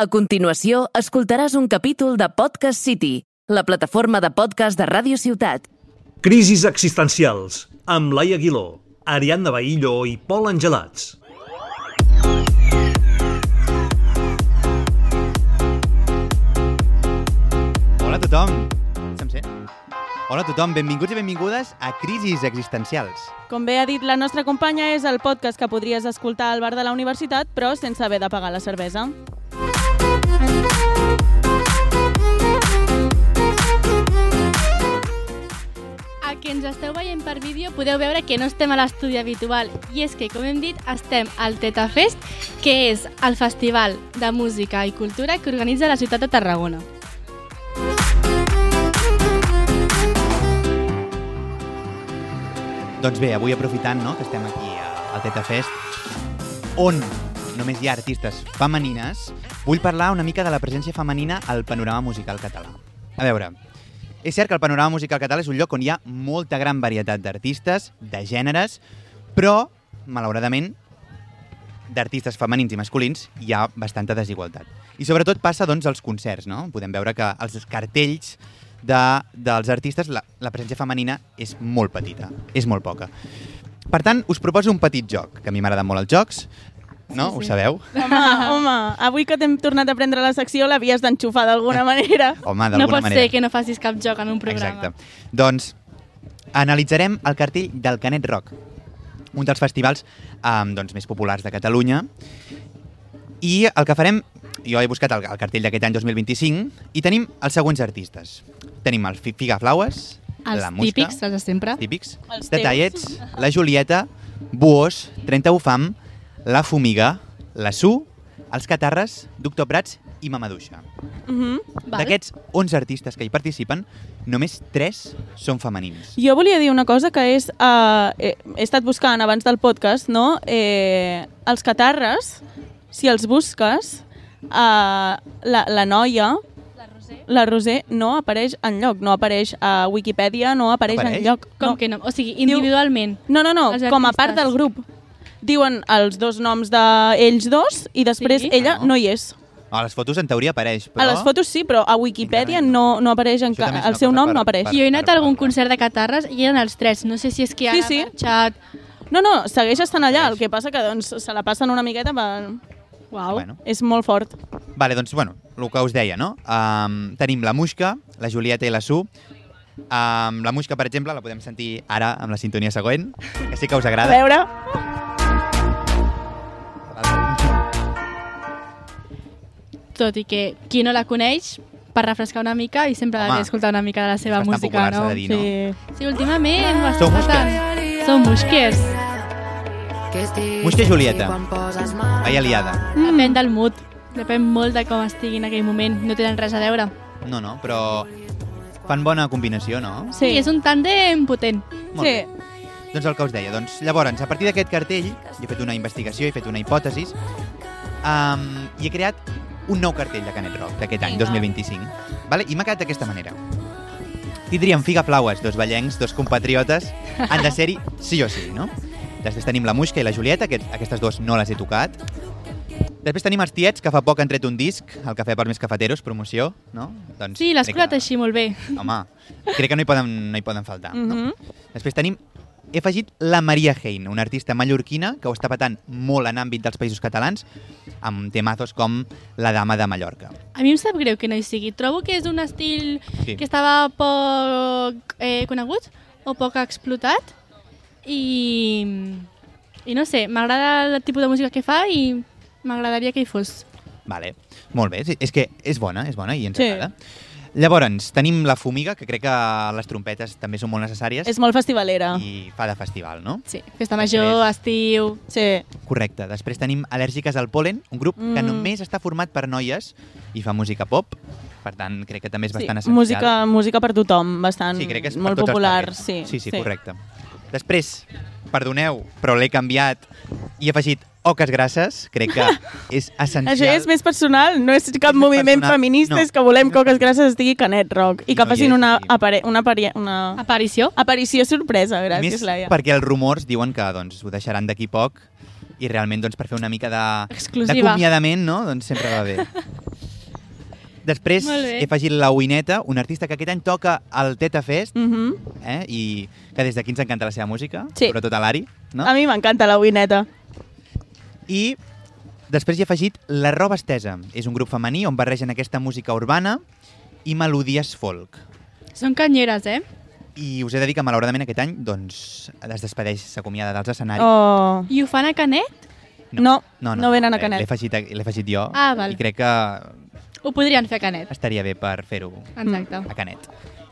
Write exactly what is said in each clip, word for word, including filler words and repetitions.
A continuació, escoltaràs un capítol de Podcast City, la plataforma de podcast de Ràdio Ciutat. Crisis existencials, amb Laia Aguiló, Ariadna Bahillo i Pol Angelats. Hola a tothom. Se'm sent? Hola a tothom, benvinguts i benvingudes a Crisis existencials. Com bé ha dit la nostra companya, és el podcast que podries escoltar al bar de la universitat, però sense haver de pagar la cervesa. A que ens esteu veient per vídeo podeu veure que no estem a l'estudi habitual, i és que, com hem dit, estem al TetaFest, que és el festival de música i cultura que organitza la ciutat de Tarragona. Doncs bé, avui aprofitant no, que estem aquí al TetaFest, on només hi ha artistes femenines, vull parlar una mica de la presència femenina al panorama musical català. A veure, és cert que el panorama musical català és un lloc on hi ha molta gran varietat d'artistes, de gèneres, però, malauradament, d'artistes femenins i masculins hi ha bastanta desigualtat. I sobretot passa doncs als concerts, no? Podem veure que els cartells de, dels artistes, la, la presència femenina és molt petita, és molt poca. Per tant, us proposo un petit joc, que a mi m'agraden molt els jocs, no? Sí, sí. Ho sabeu? Home, home, avui que t'hem tornat a prendre la secció l'havies d'enxufar d'alguna manera. Home, d'alguna no pot manera. ser que no facis cap joc en un programa. Exacte. Doncs analitzarem el cartell del Canet Rock, un dels festivals um, doncs, més populars de Catalunya. I el que farem, jo he buscat el, el cartell d'aquest any dos mil vint-i-cinc i tenim els següents artistes. Tenim el Figaflaues, els la Musca, típics, els de sempre. típics, Els Detallets, la Julieta, Buós, trenta Ufam, la Fumiga, la Su, els Catarres, Doctor Prats i Mamaduixa. Uh-huh. D'aquests onze artistes que hi participen, només tres són femenins. Jo volia dir una cosa que és... Uh, he, he estat buscant abans del podcast, no? Eh, els Catarres, si els busques, uh, la, la noia... La Roser no apareix enlloc, no apareix a Wikipedia, no apareix, apareix? enlloc. Com no. que no? O sigui, individualment. No, no, no, Els com a artistes. part del grup. Diuen els dos noms d'ells dos i després Sí? ella Ah, no. no hi és. A les fotos en teoria apareix, però... A les fotos sí, però a Wikipedia no, no apareix, en Això també ca... és una el seu cosa nom per- no apareix. per- Jo he anat per- a algun per- concert de Catarres i eren els tres. No sé si és que ara Sí, sí. ha marxat... No, no, segueix estant allà, el que passa que doncs, se la passen una miqueta per... Uau. Bueno. És molt fort. Vale, doncs, bueno, el que us deia, no? Um, tenim la Musca, la Julieta i la Su. Um, la Musca, per exemple, la podem sentir ara amb la sintonia següent, que sí que us A agrada. veure... Tot i que qui no la coneix, per refrescar una mica i sempre Home, ha d'escoltar una mica de la seva és bastant música, popular, no? s'ha de dir, no? Sí. Sí, últimament ho Sou està musquers. patant. Som musquers. Musca i Julieta, vaya liada. Mm. Depèn del mood. Depèn molt de com estigui en aquell moment. No tenen res a veure. No, no, però fan bona combinació, no? Sí, és un tàndem potent. Molt Sí. bé. Doncs el que us deia. Doncs, llavors, a partir d'aquest cartell, jo he fet una investigació, he fet una hipòtesi, um, i he creat un nou cartell de Canet Rock d'aquest any, Vinga. dos mil vint-i-cinc. Vale? I m'ha quedat d'aquesta manera. Tindríem Figaflaues, dos ballencs, dos compatriotes, han de ser-hi sí o sí, no? Després tenim la Musca i la Julieta, que aquestes dues no les he tocat. Després tenim els Tiets, que fa poc han tret un disc, el Cafè per més cafeteros, promoció, no? Doncs Sí, l'has crec curat que- així molt bé. Home, crec que no hi poden, no hi poden faltar. No? Mhm. Després tenim, he afegit la Maria Hein, una artista mallorquina que ho està patant molt en àmbit dels països catalans, amb temazos com La dama de Mallorca. A mi em sap greu que no hi sigui. Trobo que és un estil Sí. que estava poc eh, conegut o poc explotat i, i no sé, m'agrada el tipus de música que fa i m'agradaria que hi fos. Vale, molt bé, sí, és que és bona, és bona i ens Sí. agrada. Llavors, tenim la Fumiga, que crec que les trompetes també són molt necessàries És molt festivalera. i fa de festival, no? Sí, festa major, estiu... Sí. Correcte. Després tenim Al·lèrgiques al Polen, un grup que Mm. només està format per noies i fa música pop, per tant, crec que també és Sí, bastant essencial. música, música per tothom, bastant Sí, crec que és per molt tots els popular. targets. Sí, sí, sí, correcte. Després, perdoneu, però l'he canviat i he afegit Oques Grasses, crec que és essencial. Això és més personal, no és cap És més moviment personal. feminista, No. és que volem que Oques Grasses estigui Canet Rock i I que no hi facin és, una, i- apare una, apari una Aparició? aparició sorpresa. Gràcies, Més Laia. perquè els rumors diuen que doncs, ho deixaran d'aquí poc i realment doncs, per fer una mica de Exclusiva. d'acomiadament, no? Doncs sempre va bé. Després he afegit la Uineta, un artista que aquest any toca al Teta Fest, Mm -hmm. eh? i que des d'aquí ens encanta la seva música, Sí. sobretot a l'Ari. No? A mi m'encanta la Uineta. I després hi he afegit La Roba Estesa. És un grup femení on barregen aquesta música urbana i melodies folk. Són canyeres, eh? I us he de dir que malauradament aquest any doncs, es despedeix, s'acomiada dels escenaris. Oh. I ho fan a Canet? No, no venen a Canet. L'he afegit, l'he afegit jo Ah, val. i crec que Ho podrien fer a Canet. estaria bé per fer-ho Exacte. a Canet.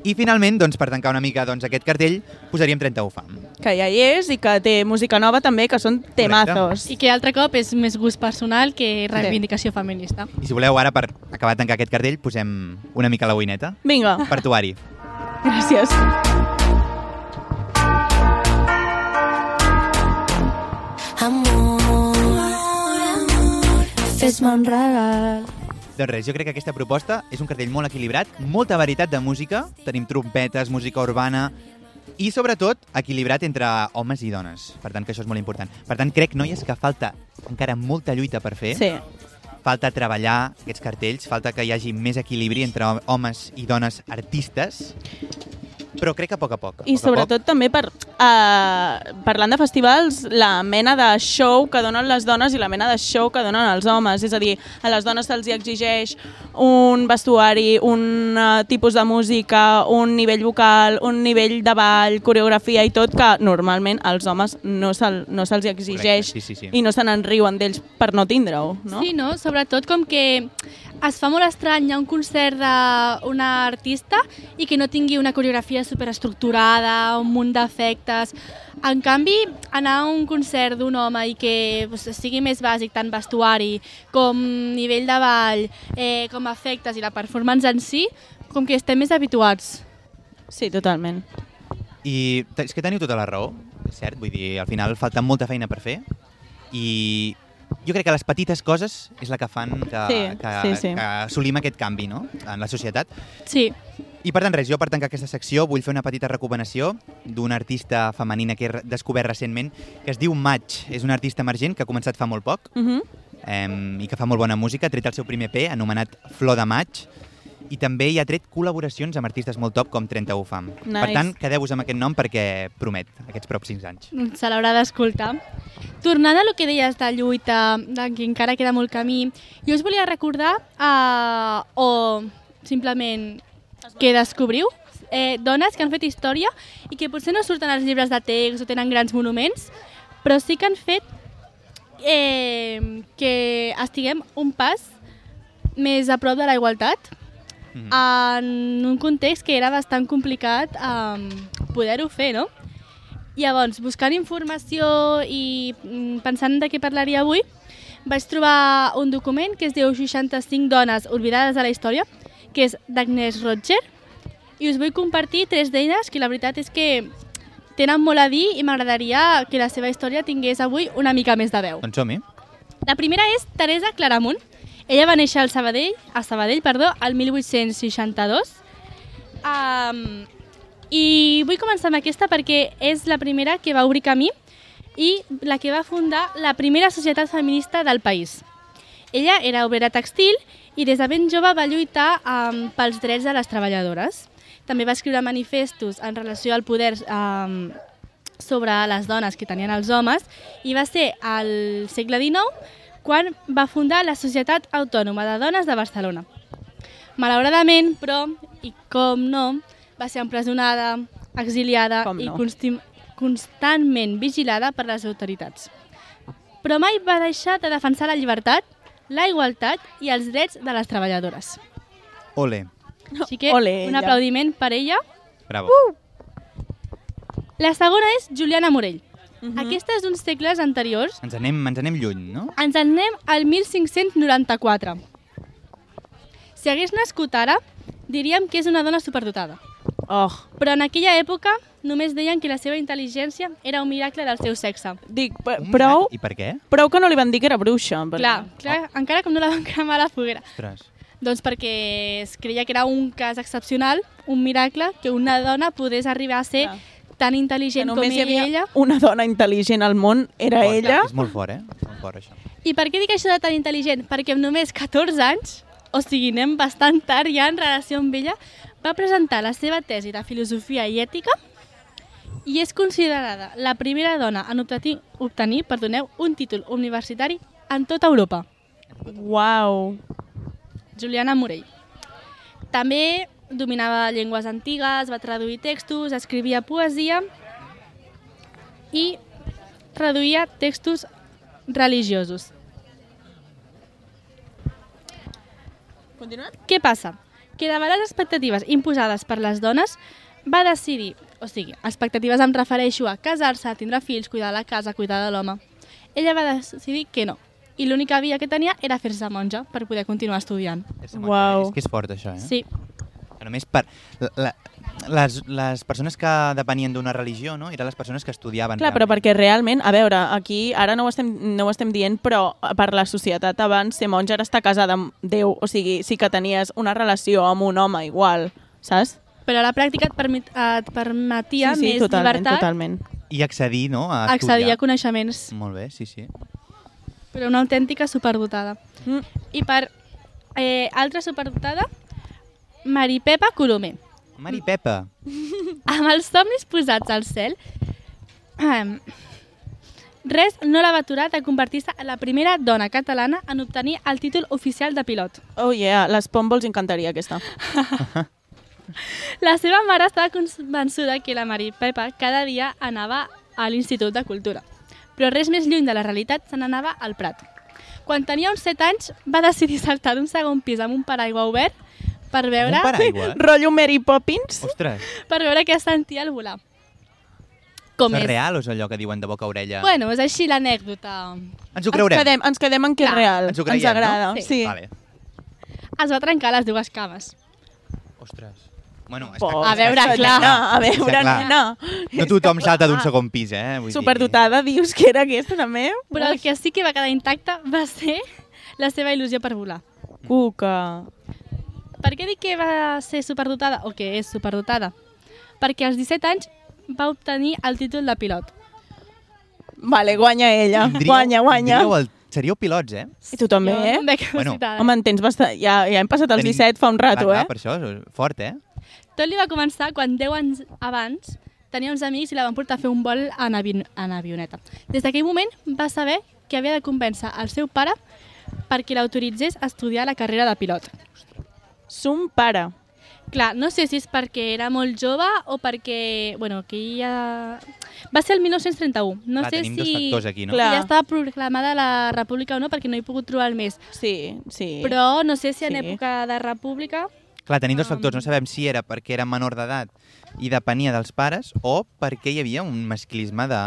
I finalment, doncs, per tancar una mica doncs, aquest cartell, posaríem trenta u Fam. Que ja hi és i que té música nova també, que són temazos. I que altre cop és més gust personal que reivindicació feminista. I si voleu, ara, per acabar de tancar aquest cartell, posem una mica la Uineta. Vinga. Per tu, Ari. Gràcies. Amor, amor, fes-me un regal. Doncs res, jo crec que aquesta proposta és un cartell molt equilibrat, molta varietat de música, tenim trompetes, música urbana i, sobretot, equilibrat entre homes i dones. Per tant, que això és molt important. Per tant, crec, noies, que falta encara molta lluita per fer. Sí. Falta treballar aquests cartells, falta que hi hagi més equilibri entre homes i dones artistes, però crec que a poc a poc. A I poc sobretot a poc, també per, uh, parlant de festivals, la mena de show que donen les dones i la mena de show que donen els homes. És a dir, a les dones se'ls exigeix un vestuari, un uh, tipus de música, un nivell vocal, un nivell de ball, coreografia i tot, que normalment als homes no se'ls no se exigeix. Correcte, sí, sí, sí. I no se n'enriuen d'ells per no tindre-ho, no? Sí, no? Sobretot com que es fa molt estrany, hi ha un concert d'una artista i que no tingui una coreografia superestructurada, un munt d'efectes. En canvi, anar a un concert d'un home i que pues, sigui més bàsic, tant vestuari com nivell de ball, eh, com efectes i la performance en si, com que estem més habituats. Sí, totalment. I és que teniu tota la raó, és cert, vull dir, al final falta molta feina per fer i jo crec que les petites coses és la que fan que, Sí, que, sí, sí. que assolim aquest canvi, no?, en la societat. Sí. I per tant, res, jo per tancar aquesta secció vull fer una petita recomanació d'una artista femenina que he descobert recentment, que es diu Match. És una artista emergent que ha començat fa molt poc Uh -huh. eh, i que fa molt bona música. Ha tret el seu primer P, anomenat Flor de Maig, i també hi ha tret col·laboracions amb artistes molt top com trenta u Fam. Nice. Per tant, quedeu-vos amb aquest nom perquè promet aquests pròxims anys. Se l'haurà d'escoltar. Tornant a lo que deies de lluita, de que encara queda molt camí, jo us volia recordar, uh, o simplement que descobriu, eh, dones que han fet història i que potser no surten als llibres de text o tenen grans monuments, però sí que han fet eh, que estiguem un pas més a prop de la igualtat, Mhm. en un context que era bastant complicat um, poder-ho fer, no? Llavors, buscant informació i mm, pensant de què parlaria avui, vaig trobar un document que es diu seixanta-cinc dones oblidades de la història, que és d'Agnès Roger, i us vull compartir tres d'elles que la veritat és que tenen molt a dir i m'agradaria que la seva història tingués avui una mica més de veu. Doncs som-hi. La primera és Teresa Claramunt. Ella va néixer al Sabadell, a Sabadell, perdó, el mil vuit-cents seixanta-dos. Um, I vull començar amb aquesta perquè és la primera que va obrir camí i la que va fundar la primera societat feminista del país. Ella era obrera textil i des de ben jove va lluitar um, pels drets de les treballadores. També va escriure manifestos en relació al poder um, sobre les dones que tenien els homes i va ser al segle dinou quan va fundar la Societat Autònoma de Dones de Barcelona. Malauradament, però, i com no, va ser empresonada, exiliada Com i no. consti- constantment vigilada per les autoritats. Però mai va deixar de defensar la llibertat, la igualtat i els drets de les treballadores. Ole. Així que Ole, un ella. aplaudiment per ella. Bravo. Uh! La segona és Juliana Morell. Uh -huh. Aquesta és d'uns segles anteriors. Ens anem, ens anem lluny, no? Ens en anem al mil cinc-cents noranta-quatre. Si hagués nascut ara, diríem que és una dona superdotada. Oh, Però en aquella època només deien que la seva intel·ligència era un miracle del seu sexe. dic, p- Un prou, miracle. I per què? prou que no li van dir que era bruixa. perquè- Clar, clar, encara com no la van cremar a la foguera. Ostres. Doncs perquè es creia que era un cas excepcional, un miracle, que una dona podés arribar a ser Clar. tan Que intel·ligent com només hi havia ella. una dona intel·ligent al món, era Fort. ella. És molt fort, eh? Molt fort, això. I per què dic això de tan intel·ligent? Perquè amb només catorze anys o sigui, anem bastant tard ja en relació amb ella, va presentar la seva tesi de filosofia i ètica i és considerada la primera dona en obtenir, obtenir perdoneu, un títol universitari en tota Europa. Uau! Juliana Morell. També dominava llengües antigues, va traduir textos, escrivia poesia i traduïa textos religiosos. Continuem? Què passa? Que davant les expectatives imposades per les dones va decidir, o sigui, expectatives em refereixo a casar-se, tindre fills, cuidar la casa, cuidar de l'home. Ella va decidir que no. I l'única via que tenia era fer-se monja per poder continuar estudiant. Uau. És que és fort, això, eh? Sí. Només per... La, les, les persones que depenien d'una religió, no? Eren les persones que estudiaven. Clar, però perquè realment, a veure, aquí ara no ho estem, no ho estem dient, però per la societat abans ser monja era estar casada amb Déu, o sigui, sí que tenies una relació amb un home igual, saps? Però a la pràctica et, permet, et permetia sí, sí, més totalment, llibertat, totalment. I accedir, no? A accedir estudiar. a coneixements. Molt bé, sí, sí. Però una autèntica superdotada. Mm. I per eh, altra superdotada, Mari Pepa Colomer. Mari Pepa. Amb els somnis posats al cel, eh, res no la va aturar de convertir-se en la primera dona catalana en obtenir el títol oficial de pilot. Oh yeah, les Pombo els encantaria aquesta. La seva mare estava convençuda que la Mari Pepa cada dia anava a l'Institut de Cultura, però res més lluny de la realitat se n'anava al Prat. Quan tenia uns set anys va decidir saltar d'un segon pis amb un paraigua obert per veure, Un paraigua? Rotllo Mary Poppins. Ostres. per veure què sentia al volar. Com és és? real o és allò que diuen de boca a orella? Bueno, és així l'anècdota. Ens ho Ens creurem. quedem, ens quedem en que és Clar, real. ens ho creiem, agrada. no? Sí. Vale. Es va trencar les dues cames. Ostres. Bueno, està, Por, A veure, està clar. nena, a veure, Està clar. nena. No tothom salta d'un segon pis, eh? Vull dir- Superdotada, dius que era aquesta també? Però el que sí que va quedar intacte va ser la seva il·lusió per volar. Cuca. Per què dic que va ser superdotada, o que és superdotada? Perquè als disset anys va obtenir el títol de pilot. Vale, guanya ella. Tindríeu- Guanya, guanya. tindríeu El... Seríeu pilots, eh? I tu també, Jo eh? també que Bueno. citada. Home, en tens bastant... Ja, ja hem passat els Tenim- disset fa un rato, clar, eh? Per això, és fort, eh? Tot li va començar quan deu anys abans tenia uns amics i la van portar a fer un vol en, avi en avioneta. Des d'aquell moment va saber que havia de convèncer el seu pare perquè l'autoritzés a estudiar la carrera de pilot. Son pare. Clar, no sé si és perquè era molt jove o perquè... Bueno, que ja... Va ser el mil nou-cents trenta-u. No Clar, sé tenim si... dos factors aquí, no? Clar. si ja estava proclamada la república o no, perquè no he pogut trobar el mes. Sí, sí. Però no sé si en Sí. època de república... Clar, tenim dos factors. No sabem si era perquè era menor d'edat i depenia dels pares o perquè hi havia un masclisme de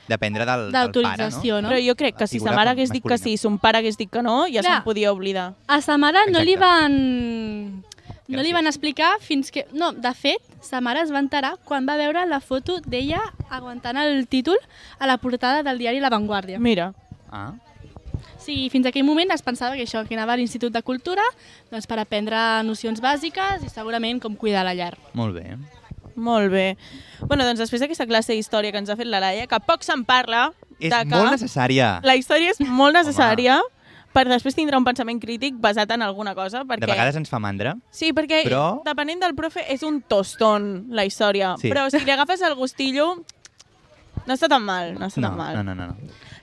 dependre del, del pare, no? D'autorització, no? Però jo crec que La si figura sa mare hagués dit que masculina. sí, son pare hagués dit que no, ja Clar. se'n podia oblidar. A sa mare no li Exacte. van... No li Gràcies. van explicar fins que... No, de fet, sa mare es va enterar quan va veure la foto d'ella aguantant el títol a la portada del diari La Vanguardia. Mira. Ah, Sí, fins aquell moment es pensava que això, que anava a l'Institut de Cultura doncs per aprendre nocions bàsiques i segurament com cuidar la llar. molt bé. Molt bé. Bueno, doncs després d'aquesta classe d'història que ens ha fet la Laia, que poc se'n parla, És de que molt necessària. la història és molt necessària per després tindre un pensament crític basat en alguna cosa. Perquè... De vegades ens fa mandra. Sí, perquè Però- depenent del profe és un tostón la història, Sí. però si li agafes el gustillo no està tan mal, no està No, tan mal. no, no, no. no.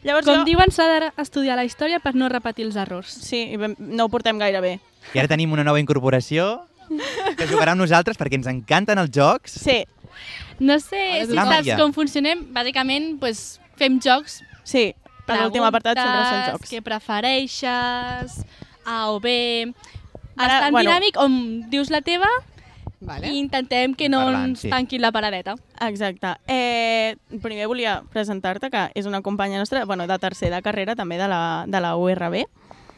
Llavors Com jo... diuen, s'ha d'estudiar la història per no repetir els errors. Sí, i ben- no ho portem gaire bé. I ara tenim una nova incorporació que jugarà amb nosaltres perquè ens encanten els jocs. Sí, No sé si La saps Maria. com funcionem. Bàsicament, doncs, fem jocs. sí. L'últim apartat sempre són preguntes, jocs. Què prefereixes, A o B... Ara, Bastant bueno. dinàmic, on dius la teva Vale. i intentem que no Parlant, ens sí. tanquin la paradeta. Exacte. Eh, primer volia presentar-te, que és una companya nostra, bueno, de tercer de carrera, també de la, de la U R B.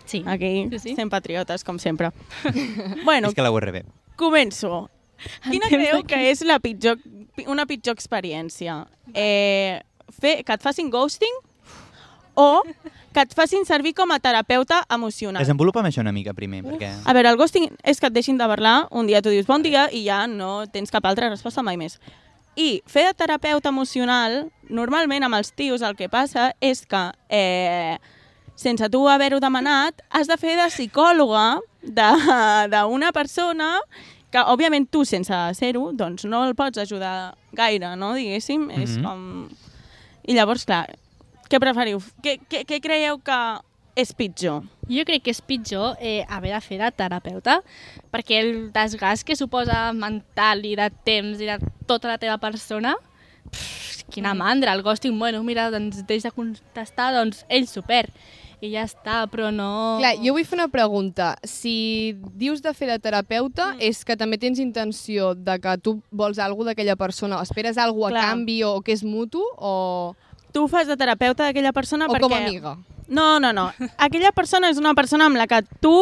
Sí. Aquí, Sí, sí. sent patriotes, com sempre. bueno, És que la U R B. començo. Quina temps creu de que és la pitjor, una pitjor experiència? Eh, fer, que et facin ghosting o que et facin servir com a terapeuta emocional? Desenvolupa'm això una mica primer, perquè... A veure, el ghosting és que et deixin de parlar, un dia tu dius bon dia i ja no tens cap altra resposta mai més. I fer de terapeuta emocional, normalment amb els tios el que passa és que, eh, sense tu haver-ho demanat, has de fer de psicòloga d'una persona que, òbviament, tu, sense ser-ho, doncs no el pots ajudar gaire, no?, diguéssim. Mm-hmm. És com... I llavors, clar, què preferiu? Què, què, què creieu que és pitjor? Jo crec que és pitjor eh, haver de fer de terapeuta, perquè el desgast que suposa mental i de temps i de tota la teva persona, pff, quina mandra, el ghosting, bueno, mira, doncs deix de contestar, doncs ell s'ho perd. I ja està, però no... Clar, jo vull fer una pregunta. Si dius de fer de terapeuta, mm. és que també tens intenció de que tu vols alguna d'aquella persona, o esperes alguna a canvi o que és mutu, o... Tu fas de terapeuta d'aquella persona o perquè... com a amiga? No, no, no. Aquella persona és una persona amb la que tu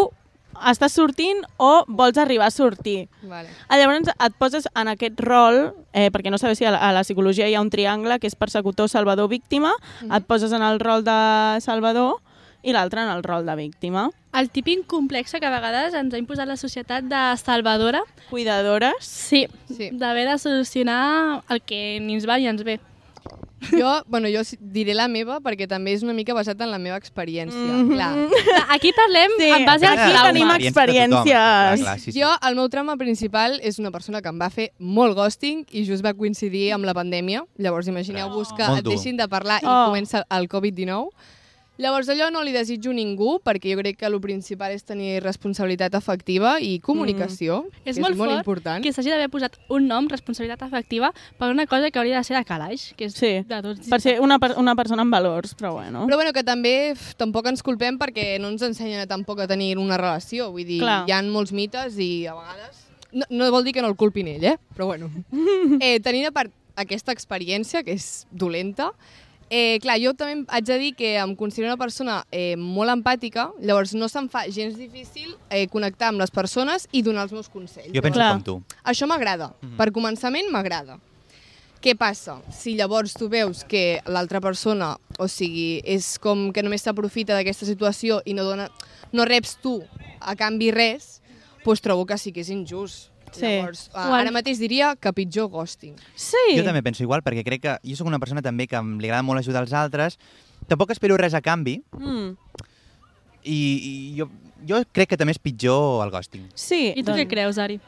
estàs sortint o vols arribar a sortir. Vale. Llavors et poses en aquest rol, eh, perquè no sabeu si a la, a la psicologia hi ha un triangle que és persecutor, salvador, víctima, mm-hmm. et poses en el rol de salvador i l'altre en el rol de víctima. El típic complex que a vegades ens ha imposat la societat de salvadora. Cuidadores. Sí, sí. D'haver de solucionar el que ni ens va ni ens ve. Jo, bueno, jo diré la meva perquè també és una mica basat en la meva experiència. Mm-hmm. Clar. Aquí parlem sí, en base al aquí trauma. tenim experiències. Clar, clar, sí, sí. Jo, el meu trauma principal és una persona que em va fer molt ghosting i just va coincidir amb la pandèmia. Llavors, imagineu-vos que Molt et dur. deixin de parlar i Oh. comença el covid dinou. Llavors, allò no li desitjo a ningú, perquè jo crec que el principal és tenir responsabilitat afectiva i comunicació, Mm. que És és molt molt fort important. que s'hagi d'haver posat un nom, responsabilitat afectiva, per una cosa que hauria de ser de calaix, que és Sí, de tots. per ser una, per- una persona amb valors, però bueno. Però bueno, que també f, tampoc ens culpem perquè no ens ensenyen tampoc a tenir una relació. Vull dir, Clar. hi ha molts mites i a vegades... No, no vol dir que no el culpin ell, eh? Però bueno. eh, tenint a part aquesta experiència, que és dolenta, eh, clar, jo també haig de dir que em considero una persona eh, molt empàtica, llavors no se'm fa gens difícil eh, connectar amb les persones i donar els meus consells. Jo penso Clar. com tu. Això m'agrada. Mm-hmm. Per començament m'agrada. Què passa? Si llavors tu veus que l'altra persona, o sigui, és com que només s'aprofita d'aquesta situació i no, dona, no reps tu a canvi res, doncs trobo que sí que és injust. Sí. Llavors, ara mateix diria que pitjor ghosting. Sí. Jo també penso igual, perquè crec que jo sóc una persona també que li agrada molt ajudar els altres. Tampoc espero res a canvi, Mm. i, i jo, jo crec que també és pitjor el ghosting. Sí. I tu què creus, Ari?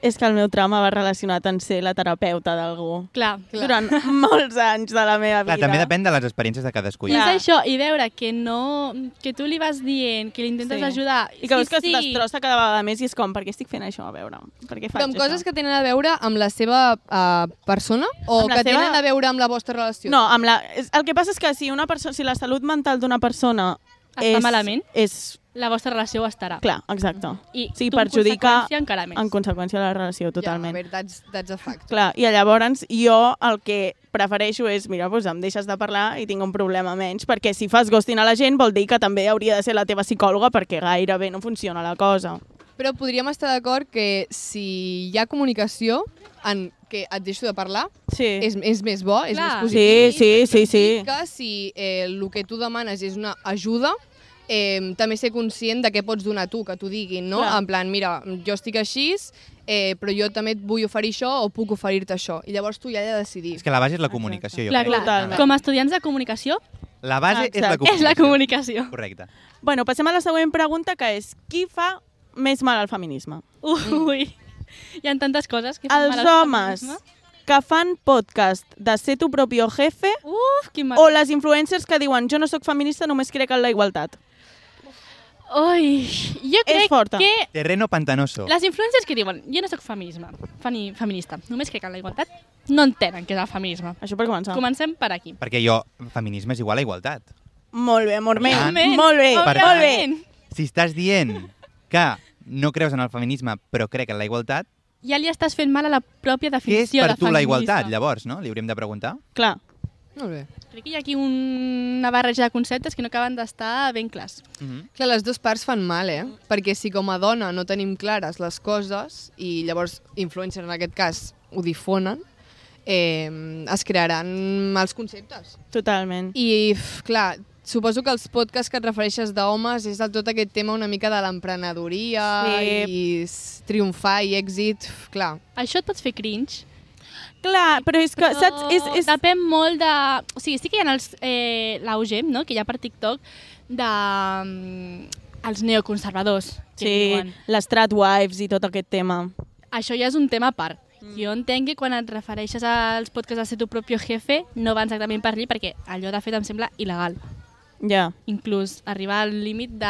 És que el meu trauma va relacionat en ser la terapeuta d'algú. Clar. Durant molts anys de la meva vida. Clar, també depèn de les experiències de cadascú. I Clar. és això, i veure que no... que tu li vas dient, que l'intentes Sí. ajudar... I que veus que sí, es destrossa cada vegada més i és com, per què estic fent això? A veure, per què faig Però amb això? coses que tenen a veure amb la seva uh, persona o Amb la que seva- tenen a veure amb la vostra relació? No, amb la... és- el que passa és que si, una perso... si la salut mental d'una persona Està és, malament. és... la vostra relació ho estarà. Clar, exacte. I sí, tu, en perjudica conseqüència, encara més. en conseqüència la relació, totalment. Ja, a veure, that's, that's a fact. Clar, i llavors jo el que prefereixo és, mira, doncs em deixes de parlar i tinc un problema menys, perquè si fas ghosting a la gent vol dir que també hauria de ser la teva psicòloga perquè gairebé no funciona la cosa. Però podríem estar d'acord que si hi ha comunicació en que et deixo de parlar, Sí. és, és més bo, és Clar. més positiu. Sí, sí, sí, sí. I que si eh, el que tu demanes és una ajuda, eh, també ser conscient de què pots donar tu, que t'ho diguin, no? Clar. En plan, mira, jo estic així, eh, però jo també et vull oferir això o puc oferir-te això. I llavors tu ja has de decidir. És que la base és la comunicació, jo Clar, crec. clar. Totalment. Com a estudiants de comunicació, La base és la Exacte. comunicació. és la comunicació. Correcte. Bueno, passem a la següent pregunta, que és qui fa més mal al feminisme? Ui, hi ha tantes coses que fan Els mal al homes feminisme. que fan podcast de ser tu propio jefe Uf, quin mal. o les influencers que diuen jo no sóc feminista, només crec en la igualtat. Ui, jo crec forta. que Terreno pantanoso. les influències que diuen jo no sóc feminisme, femi, feminista, només crec en la igualtat, no entenen què és el feminisme. Això per començar. Comencem per aquí. Perquè jo, feminisme és igual a igualtat. Molt bé, amor meu. Òbviament. Molt bé, Per molt bé. Òbviament. Si estàs dient que no creus en el feminisme però crec en la igualtat, Ja li estàs fent mal a la pròpia què és definició per de tu la feminisme. igualtat, llavors, no? Li hauríem de preguntar. Clar. Molt bé. Crec que hi ha aquí una barreja de conceptes que no acaben d'estar ben clars. Mm -hmm. Clar, les dues parts fan mal, eh? Perquè si com a dona no tenim clares les coses i llavors influencers en aquest cas ho difonen, eh, es crearan mals conceptes. Totalment. I, f, clar, suposo que els podcasts que et refereixes d'homes és el tot aquest tema una mica de l'emprenedoria Sí. i s- triomfar i èxit, f, clar. Això et pots fer cringe. Clar, però és que, Però saps? És, és... Depèn molt de... O sigui, sí que hi ha els, eh, l'auge, no?, que hi ha per TikTok, de... mm, els neoconservadors, que Sí, diuen. les tradwives i tot aquest tema. Això ja és un tema a part. Mm. Jo entenc que quan et refereixes als podcasts de ser tu propio jefe no va exactament per allí, perquè allò de fet em sembla il·legal. Ja. Inclús arribar al límit de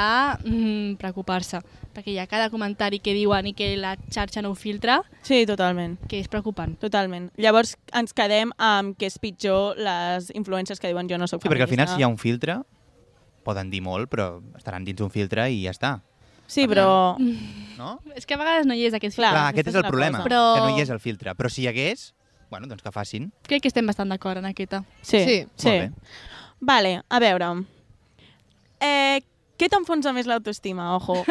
mm, preocupar-se, perquè hi ha cada comentari que diuen i que la xarxa no ho filtra, Sí, totalment. que és preocupant. Totalment. Llavors ens quedem amb que és pitjor les influències que diuen jo no soc Sí, perquè al final feminista. si hi ha un filtre, poden dir molt, però estaran dins un filtre i ja està. Sí, però... No? És que a vegades no hi és aquest Clar, filtre. Clar, aquest aquesta és és el una problema, cosa. Però- que no hi és el filtre. Però si hi hagués, bueno, doncs que facin. Crec que estem bastant d'acord en aquesta. Sí, Sí. sí. Molt bé. Vale, a veure. Eh, què t'enfonsa més l'autoestima, ojo?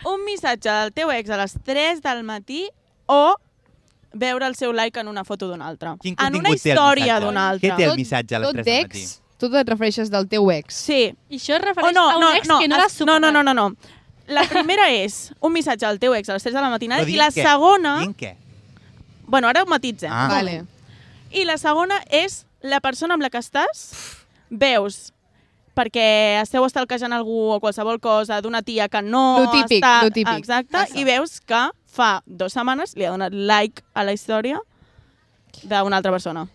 Un missatge del teu ex a les tres del matí o veure el seu like en una foto d'un altre? Quin En una contingut té el història missatge? d'un altre. Què té el Tot- missatge a les tot tres del matí? d'ex, tu et refereixes del teu ex. Sí. I això es O refereix no, a un no, ex no, que no es- l'ha superat. no, no, no, no, no. La primera és un missatge al teu ex a les tres de la matinada Però i dient la què? segona... Dient què? Bueno, ara ho matitzem. Ah. Vale. I la segona és la persona amb la que estàs, veus, perquè esteu estalquejant algú o qualsevol cosa d'una tia que no Lo típic, està... lo típic. Exacte, Passa. i veus que fa dues setmanes li ha donat like a la història d'una altra persona.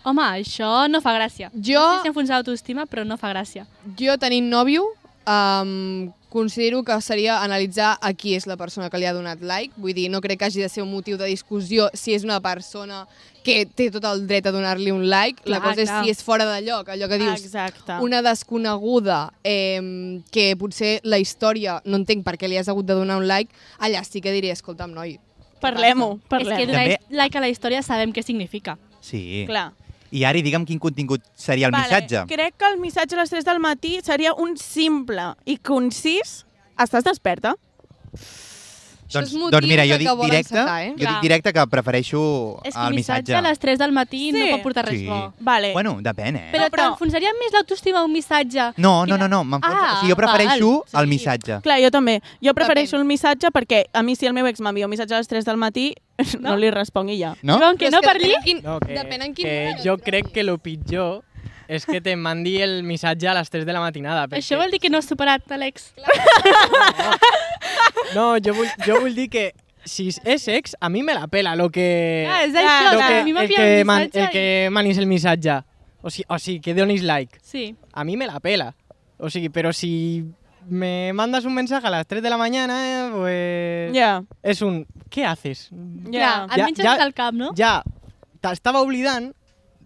Home, això no fa gràcia. Jo- No sé si enfonsa l'autoestima, però no fa gràcia. Jo, tenint nòvio, um, considero que seria analitzar a qui és la persona que li ha donat like. Vull dir, no crec que hagi de ser un motiu de discussió si és una persona que té tot el dret a donar-li un like. Clar, la cosa clar. és si és fora de lloc, allò que dius. Exacte. Una desconeguda eh, que potser la història no entenc per què li has hagut de donar un like, allà sí que diré, escolta'm, noi. Parlem-ho, És que parlem-ho. donar També- like a la història sabem què significa. Sí. Clar. I Ari, digue'm quin contingut seria el Vale, missatge. crec que el missatge a les tres del matí seria un simple i concís estàs desperta? Això Doncs, és motiu doncs mira, jo de dic que volen directe, sacar, eh? jo Clar. dic directe que prefereixo És que el el missatge missatge. a les tres del matí Sí. no pot portar res Sí. bo. Vale. Bueno, depèn, eh? Però, No, però- t'enfonsaria més l'autoestima un missatge? No, no, Quina- no, no, m'enfonsa- Ah, o sigui, jo prefereixo val, el sí. missatge. Clar, jo també. Jo prefereixo Depèn. el missatge perquè a mi si el meu ex m'envia un missatge a les tres del matí no, No? li responc i ja. No? Diuen que Però és no per depèn li? en Quin, No, que, depèn en quin que moment. jo crec que el pitjor és que te mandi el missatge a les tres de la matinada. Perquè... Això vol dir que no has superat l'ex. No, jo vull, jo vull dir que si és ex, a mi me la pela lo que... Ah, és Clar, això, lo que que, a mi m'ha el, enviat que un man, missatge el que manis el missatge. O sigui, o sigui, que donis like. i... Sí. A mi me la pela. O sigui, però si me mandas un mensaje a las tres de la mañana, eh, pues... Ja, És un... ¿Qué haces? ja. Clar, et menges ja- del cap, no? Ja t'estava oblidant,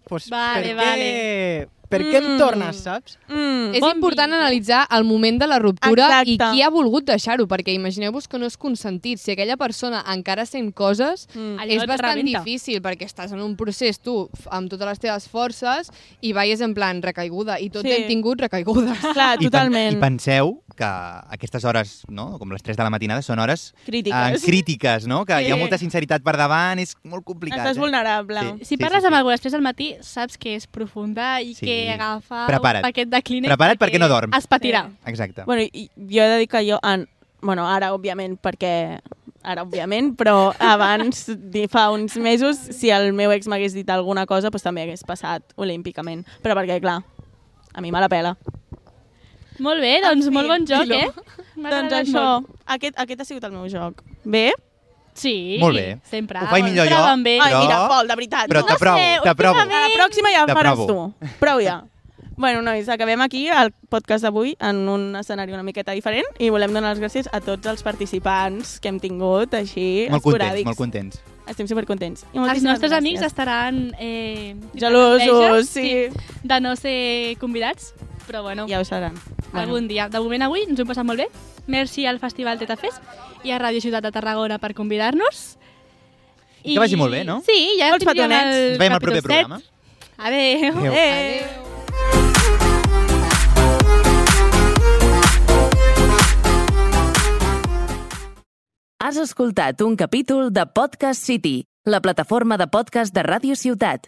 pues, Vale, per, vale. què, per què em Mm. tornes, saps? Mm. És Bon important vincle. analitzar el moment de la ruptura Exacte. i qui ha volgut deixar-ho, perquè imagineu-vos que no és consentit. Si aquella persona encara sent coses, Mm. Allò és et bastant rebenta. difícil, perquè estàs en un procés, tu, f- amb totes les teves forces, i veies en plan recaiguda, i tots Sí. hem tingut recaigudes. Clar, I, pen- totalment. I penseu que aquestes hores, no? com les tres de la matinada, són hores Crítiques. eh, crítiques, no? que Sí. hi ha molta sinceritat per davant, és molt complicat. Estàs eh? vulnerable. Sí. Si parles amb algú després del matí, saps que és profunda i Sí. que agafa Prepara't. un paquet de Kleenex Prepara't perquè no dorms. es patirà. Exacte. Bueno, i jo he de dir que jo, en, bueno, ara òbviament, perquè ara òbviament, però abans, di- fa uns mesos, si el meu ex m'hagués dit alguna cosa, doncs també hagués passat olímpicament. Però perquè, clar, a mi me la pela. Molt bé, doncs En fi, molt bon joc, dilo. eh? M'ha Doncs agradat això, molt. aquest, aquest ha sigut el meu joc. Bé? Sí, Molt bé. sempre. Ho faig millor sempre jo. van bé. Ai, Però- mira, Pol, de veritat. Però no? t'aprovo, sé, ho t'aprovo. fica bé. A la pròxima ja ho faràs T'aprovo. tu. Prou ja. Bueno, nois, acabem aquí el podcast d'avui en un escenari una miqueta diferent i volem donar les gràcies a tots els participants que hem tingut així Molt contents, esporàdics. molt contents. Estem supercontents. I Els moltíssimes nostres gràcies. amics estaran eh, gelosos, sí. de no ser convidats, però bueno, Ja ho seran. algun dia. De moment avui ens ho hem passat molt bé. Merci al Festival Teta Fest i a Ràdio Ciutat de Tarragona per convidar-nos. I que vagi molt bé, no? Sí, ja Molts tindríem petonets. el Ens veiem al proper capítol set. programa. Adéu. Adéu. Eh. Has escoltat un capítol de Podcast City, la plataforma de podcast de Ràdio Ciutat.